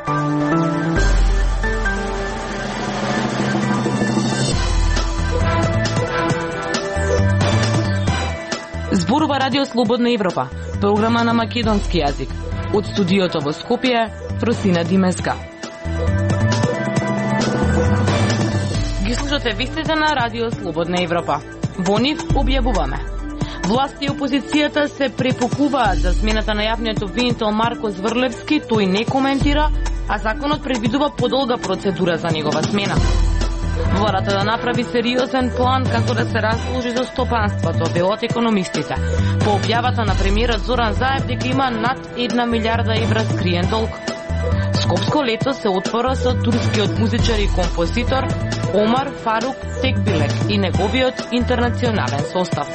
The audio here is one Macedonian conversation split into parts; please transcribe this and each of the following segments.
Зборува Радио Слободна Европа, програма на македонски јазик. Од студиото во Скопје, Фросина Димеска. Ги слушате вестите на Радио Слободна Европа. Во нив објавуваме. Власти и опозицијата се препокуваат за смената на јавниот обвинител Марко Зврлевски, тој не коментира, а законот предвидува подолга процедура за негова смена. Владата да направи сериозен план како да се разложи за стопанството, велат економистите. По објавата на премиерот Зоран Заев дека има над 1 милиарда евра скриен долг. Скопско лето се отвора со турскиот музичар и композитор Омар Фарук Текбилек и неговиот интернационален состав.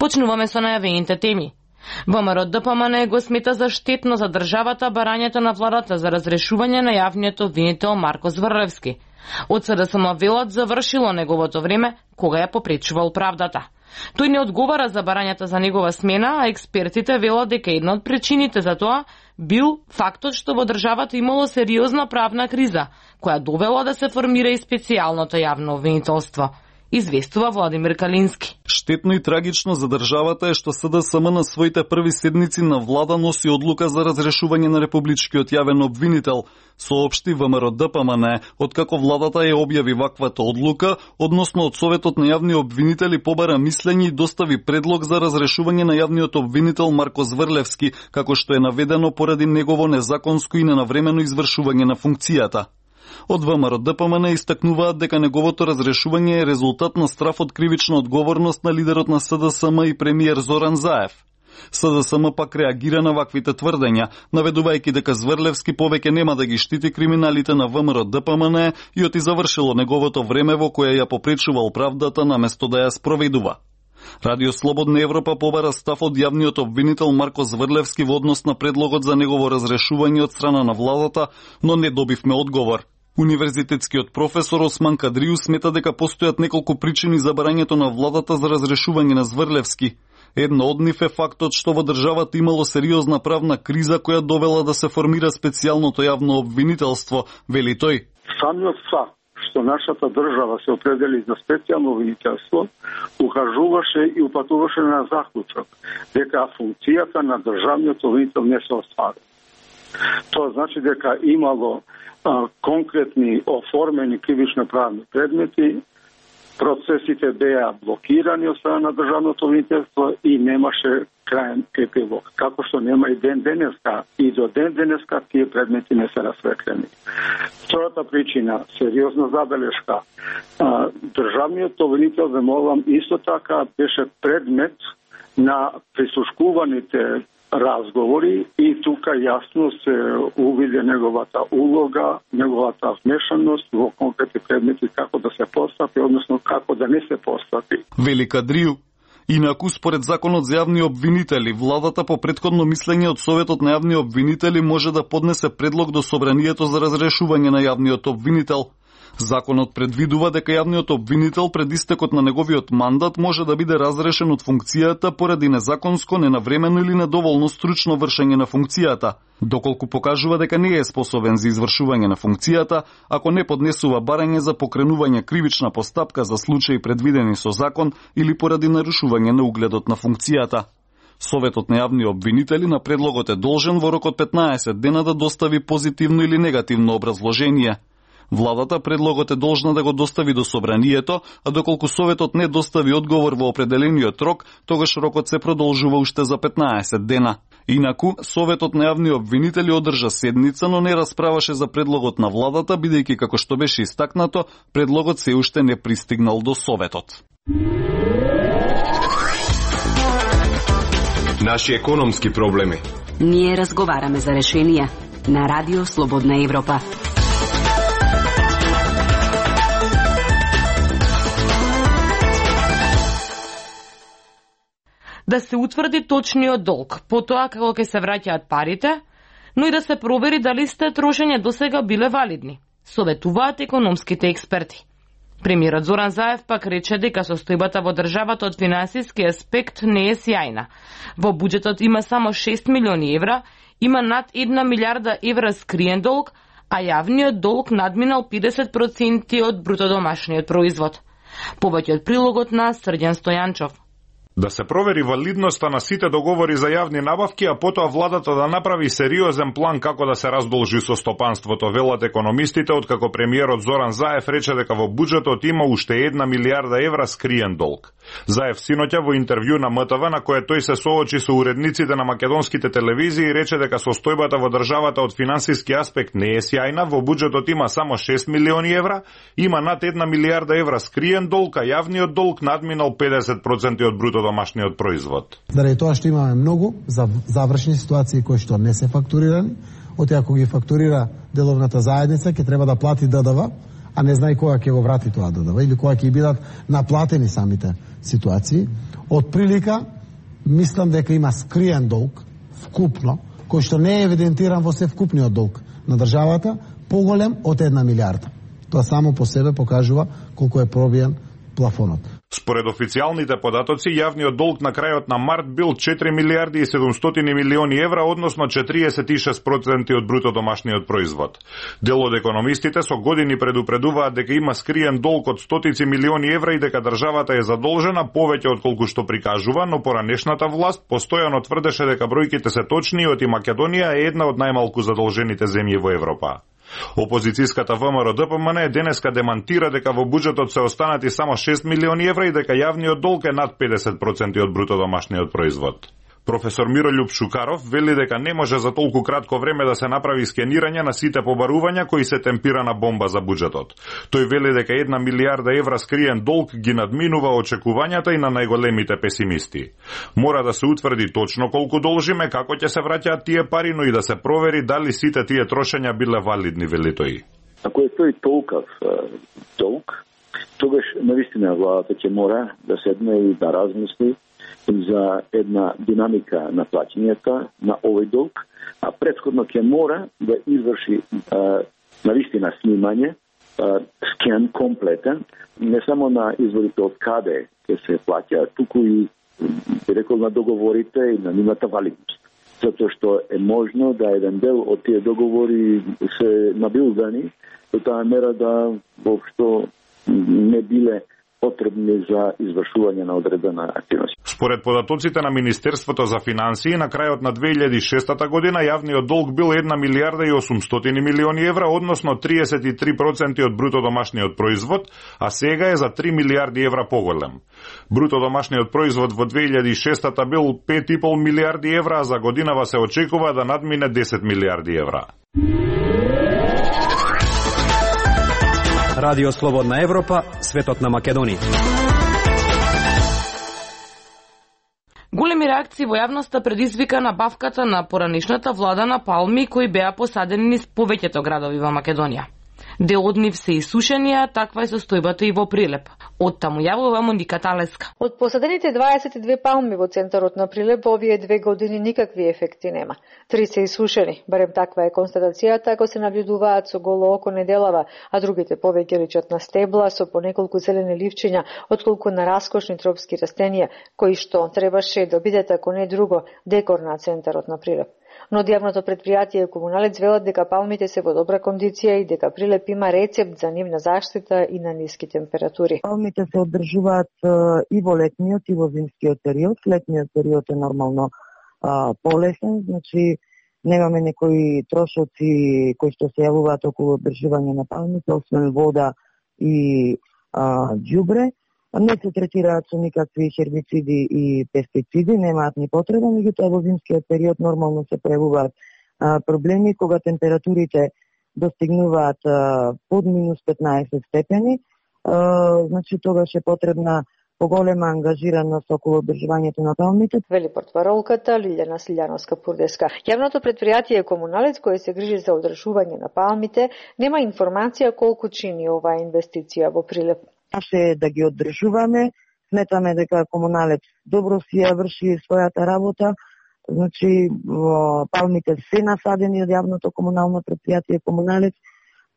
Почнуваме со најавените теми. ВМРО-ДПМН го смета за штетно за државата барањето на владата за разрешување на јавниот обвинител Марко Зврлевски. Од СДСМ велат завршило неговото време кога ја попречувал правдата. Тој не одговара за барањата за негова смена, а експертите велат дека една од причините за тоа бил фактот што во државата имало сериозна правна криза, која довела да се формира и специјалното јавно обвинителство. Известува Владимир Калински. Штетно и трагично за државата е што СДСМ на своите први седници на влада носи одлука за разрешување на републичкиот јавен обвинител, соопшти ВМРО-ДПМН, откако владата ја објави ваквата одлука, односно од Советот на јавни обвинители побара мислење и достави предлог за разрешување на јавниот обвинител Марко Зврлевски, како што е наведено поради негово незаконско и ненавремено извршување на функцијата. Од ВМРО-ДПМН истакнуваат дека неговото разрешување е резултат на страф од кривична одговорност на лидерот на СДСМ и премиер Зоран Заев. СДСМ пак реагира на ваквите тврдења, наведувајќи дека Зврлевски повеќе нема да ги штити криминалите на ВМРО-ДПМН и оти завршило неговото време во кое ја попречувал правдата наместо да ја спроведува. Радио Слободна Европа побара став од јавниот обвинител Марко Зврлевски во однос на предлогот за негово разрешување од страна на владата, но не добивме одговор. Универзитетскиот професор Осман Кадриу смета дека постојат неколку причини за барањето на владата за разрешување на Зврлевски. Една од нив е фактот што во државата имало сериозна правна криза која довела да се формира специјалното јавно обвинителство, вели тој. Самиот факт што нашата држава се определи за специјално обвинителство укажуваше и упатуваше на заклучок дека функцијата на државниот обвинител не се оствари. Тоа значи дека имало конкретни оформени кривично правни предмети, процесите беа блокирани од страна на државното обвинителство и немаше краен епилог. Како што нема и ден денеска, и до ден денеска тие предмети не се расветлени. Втората причина, сериозна забелешка, државниот обвинител, замолам, исто така беше предмет на прислушкуваните разговори и тука јасно се увиде неговата улога, неговата вмешаност во конкретни предмети како да се постапи, односно како да не се постапи. Вели Кадриу. Инаку, според законот за јавни обвинители, владата по претходно мислење од Советот на јавни обвинители може да поднесе предлог до Собранието за разрешување на јавниот обвинител. Законот предвидува дека јавниот обвинител пред истекот на неговиот мандат може да биде разрешен од функцијата поради незаконско, ненавремено или недоволно стручно вршење на функцијата, доколку покажува дека не е способен за извршување на функцијата, ако не поднесува барање за покренување кривична постапка за случаи предвидени со закон или поради нарушување на угледот на функцијата. Советот на јавни обвинители на предлогот е должен во рок од 15 дена да достави позитивно или негативно образложение. Владата предлогот е должна да го достави до Собранието, а доколку Советот не достави одговор во определениот рок, тогаш рокот се продолжува уште за 15 дена. Инаку, Советот на јавни обвинители одржа седница, но не расправаше за предлогот на владата, бидејќи како што беше истакнато, предлогот се уште не пристигнал до Советот. Наши економски проблеми. Ние разговараме за решенија на Радио Слободна Европа. Да се утврди точниот долг, потоа како ќе се враќаат парите, но и да се провери дали сте трошење досега биле валидни, советуваат економските експерти. Премиерот Зоран Заев пак рече дека состојбата во државата од финансиски аспект не е сјајна. Во буџетот има само 6 милиони евра, има над 1 милиарда евра скриен долг, а јавниот долг надминал 50% од брутодомашниот производ. Повеќе од прилогот на Срđan Стојанчов. Да се провери валидноста на сите договори за јавни набавки, а потоа владата да направи сериозен план како да се раздолжи со стопанството, велат економистите, откако премиерот Зоран Заев рече дека во буџетот има уште 1 милиарда евра скриен долг. Заев синоќа во интервју на МТВ, на кое тој се соочи со уредниците на македонските телевизии, рече дека состојбата во државата од финансиски аспект не е сјајна, во буџетот има само 6 милиони евра, има над 1 милиарда евра скриен долг, а јавниот долг надминал 50% од брутодомашниот производ. Заради тоа што имаме многу завршни ситуации кои што не се фактурирани, оти ако ги фактурира деловната заедница, ќе треба да плати ДДВ, а не знае кога ќе го врати тоа ДДВ или кога ќе бидат наплатени самите ситуации. Од прилика, мислам дека има скриен долг, вкупно, кој што не е евидентиран во севкупниот долг на државата, поголем од 1 милиарда. Тоа само по себе покажува колку е пробиен плафонот. Според официјалните податоци, јавниот долг на крајот на март бил 4 милиарди и 700 милиони евра, односно 46% од брутодомашниот производ. Дел од економистите со години предупредуваат дека има скриен долг од стотици милиони евра и дека државата е задолжена повеќе од колку што прикажува, но поранешната власт постојано тврдеше дека бројките се точни и Македонија е една од најмалку задолжените земји во Европа. Опозицијската ВМРО ДПМН денеска демантира дека во буџетот се останати само 6 милиони евра и дека јавниот долг е над 50% од брутодомашниот производ. Професор Мирољуб Шукаров вели дека не може за толку кратко време да се направи скенирање на сите побарувања кои се темпирана бомба за буџетот. Тој вели дека 1 милиарда евра скриен долг ги надминува очекувањата и на најголемите песимисти. Мора да се утврди точно колку должиме, како ќе се враќаат тие пари, но и да се провери дали сите тие трошења биле валидни, вели тој. Ако е тој толков долг, тогаш навистина владата ќе мора да седне и да размисли за една динамика на плаќањата на овој долг, а претходно ќе мора да изврши навистина снимање, скен комплетен, не само на изворите од каде ќе се плаќа, туку и би рекол на договорите и на нивната валидност. Затоа што е можно да еден дел од тие договори се набилдани до таа мера да воопшто не биле потребни за извршување на одредена активност. Според податоците на Министерството за финансии, на крајот на 2006 година јавниот долг бил 1 милиарда и 800 милиони евра, односно 33% од брутодомашниот производ, а сега е за 3 милиарди евра поголем. Брутодомашниот производ во 2006 бил 5,5 милиарди евра, а за годинава се очекува да надмине 10 милиарди евра. Радио Слободна Европа, светот на Македонија. Големи реакции во јавноста предизвика набавката на поранешната влада на палми кои беа посадени низ повеќето градови во Македонија. Дел од нив се исушени, а таква е состојбата и во Прилеп. Од таму јавува Моника Талеска. Од посадените 22 палми во центарот на Прилеп во овие 2 години никакви ефекти нема. 3 се исушени, барем таква е констатацијата ако се наблюдуваат со голо око неделава, а другите повеќе личат на стебла со по неколку зелени ливчиња, отколку на раскошни тропски растенија, кои што требаше да бидат ако не друго декор на центарот на Прилеп. Но јавното предпријатие Комуналец велат дека палмите се во добра кондиција и дека Прилеп има рецепт за нивна заштита и на ниски температури. Палмите се одржуваат и во летниот и во зимскиот период. Летниот период е нормално полесен, значи немаме некои трошоци кои што се јавуваат околу одржување на палмите, освен вода и џубре. Не се третираат со никакви хербициди и пестициди, немаат ни потреба, меѓутоа во зимскиот период нормално се појавуваат проблеми кога температурите достигнуваат под минус 15 степени, значи тогаш е потребна поголема ангажираност околу одржувањето на палмите. Вели портпаролката Лилјана Слиљановска-Пурдеска. Јавното предпријатие Комуналец, кој се грижи за одржување на палмите, нема информација колку чини оваа инвестиција во Прилеп. Наше да ги одржуваме, сметаме дека Комуналец добро си ја врши својата работа, значи палмите се насадени од јавното комунално предпријатие Комуналец,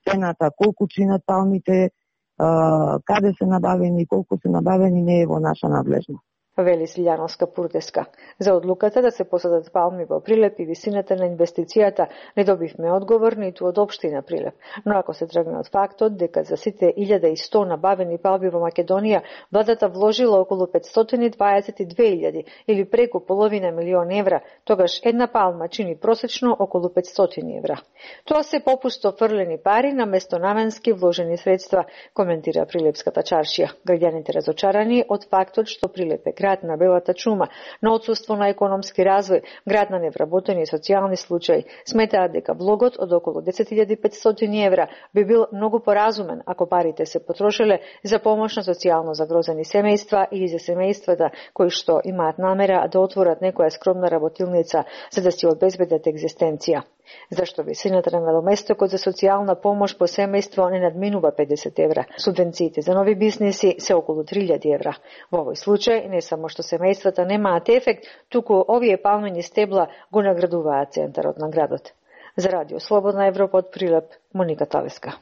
цената колку чинат палмите каде се набавени, колку се набавени, не е во наша надлежност. Вели Силјановска Пуртеска. За одлуката да се посадат палми во Прилеп и висината на инвестицијата не добивме одговор ниту од општина Прилеп. Но ако се тргне од фактот дека за сите 1100 набавени палми во Македонија, владата вложила околу 522.000 или преку половина милион евра, тогаш една палма чини просечно околу 500 евра. Тоа се попусто фрлени пари наместо наменски вложени средства, коментира Прилепската чаршија. Граѓаните разочарани од фактот што Прилеп е град на белата чума, на отсуство на економски развој, град на невработени социјални случаи, сметаат дека влогот од околу 10.500 евра би бил многу поразумен ако парите се потрошеле за помош на социјално загрозени семејства или за семејствата кои што имаат намера да отворат некоја скромна работилница за да си обезбедат екзистенција. Зашто висината на надоместокот за социјална помош по семејство не надминува 50 евра. Субвенциите за нови бизниси се околу 3.000 евра. Во овој случај не само што семејствата немаат ефект, туку овие палмени стебла го наградуваат центарот на градот. За Радио Слободна Европа од Прилеп, Моника Тавеска.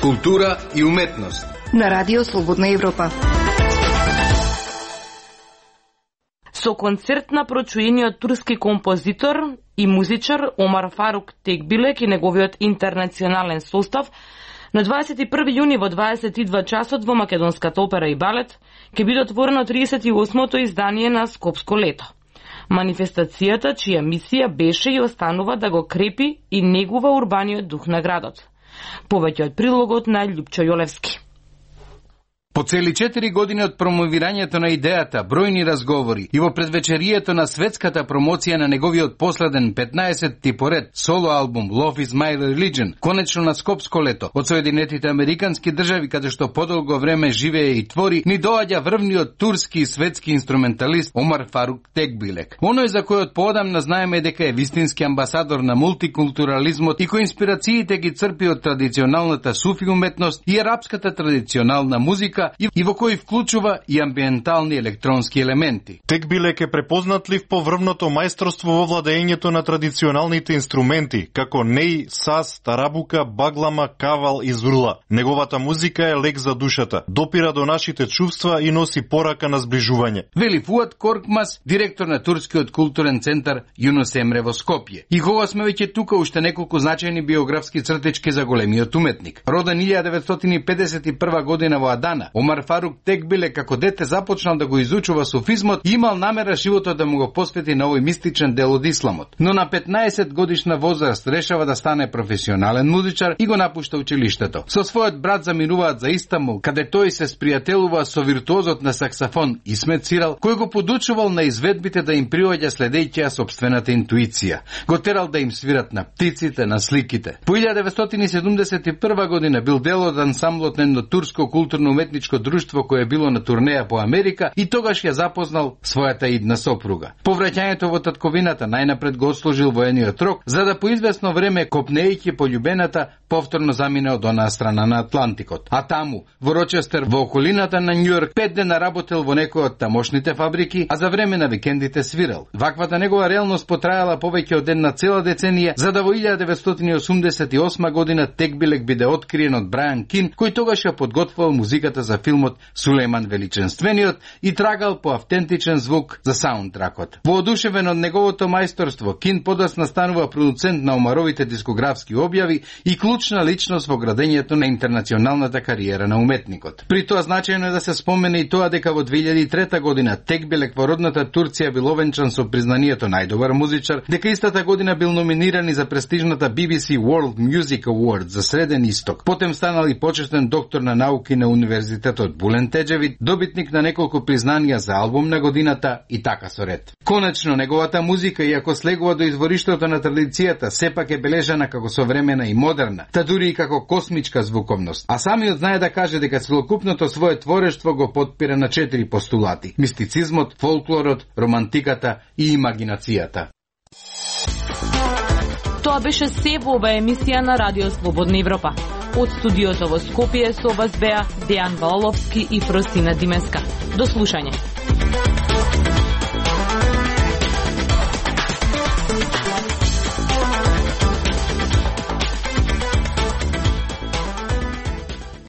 Култура и уметност на Радио Слободна Европа. Со концерт на прочуениот турски композитор и музичар Омар Фарук Текбилек и неговиот интернационален состав на 21 јуни во 22 часот во Македонската опера и балет ќе биде отворено 38-то издание на Скопско лето. Манифестацијата, чија мисија беше и останува да го крепи и негува урбаниот дух на градот. Повеќе од прилогот на Љупчо Јолевски. По цели 4 години од промовирањето на идејата, бројни разговори и во предвечерието на светската промоција на неговиот последен 15-ти поред соло албум Love is my religion, конечно на Скопско лето, од Соединетите Американски држави, каде што подолго време живее и твори, ни доаѓа врвниот турски и светски инструменталист Омар Фарук Текбилек. Оној за којот поодамна знаеме дека е вистински амбасадор на мултикултурализмот и кој инспирациите ги црпи од традиционалната суфи уметност и арапската традиционална музика и во кој вклучува и амбиентални електронски елементи. Текбилек е препознатлив по врвното мајсторство во владењето на традиционалните инструменти, како неј, саз, тарабука, баглама, кавал и зурла. Неговата музика е лек за душата, допира до нашите чувства и носи порака на сближување. Вели Фуат Коркмас, директор на турскиот културен центар Юнус Емре во Скопје. И кога сме веќе тука, уште неколку значајни биографски цртички за големиот уметник. Роден 1951 година во Адана, Омар Фарук Текбилек како дете започнал да го изучува суфизмот и имал намера животот да му го посвети на овој мистичен дел од исламот. Но на 15 годишна возраст решава да стане професионален музичар и го напушта училиштето. Со својот брат заминуваат за Истанбул, каде тој се спријателува со виртуозот на саксофон Исмет Сирал, кој го подучувал на изведбите да им приоѓа следејќи ја сопствената интуиција. Го терал да им свират на птиците, на сликите. По 1971 година бил дел од ансамблот на едно турско културно-уметничко друштво кое било на турнеја по Америка и тогаш ја запознал својата идна сопруга. По враќањето во татковината најнапред го отслужил воениот рок, за да по известно време копнејќи по љубената повторно замине од онаа страна на Атлантикот. А таму, во Рочестер, во околината на Њујорк, 5 дена работел во некој од тамошните фабрики, а за време на викендите свирал. Ваквата негова реалност потрајала повеќе од една цела деценија, за да во 1988 година Текбилек биде откриен од Брајан Кин, кој тогаш ја подготвувал музиката за филмот Сулејман Величенствениот и трагал по автентичен звук за саундтракот. Воодушевен од неговото мајсторство, Кин подоцна станува продуцент на Омаровите дискографски објави и клучна личност во градењето на интернационалната кариера на уметникот. При тоа значајно е да се спомене и тоа дека во 2003 година Текбилек во родната Турција бил овенчан со признанието најдобар музичар, дека истата година бил номиниран и за престижната BBC World Music Awards за Среден Исток. Потем станал и почетен доктор на науки на Универзитетот Булен Теџевит, добитник на неколку признанија за албум на годината и така со ред. Конечно, неговата музика, иако слегува до извориштето на традицијата, сепак е бележана како современа и модерна, та дури и како космичка звуковност. А самиот знае да каже дека целокупното свое творештво го потпира на 4 постулати: мистицизмот, фолклорот, романтиката и имагинацијата. Тоа беше се во ова емисија на Радио Слободна Европа. Од студиото во Скопје со вас беа Дејан Валовски и Фростина Димеска. До слушање.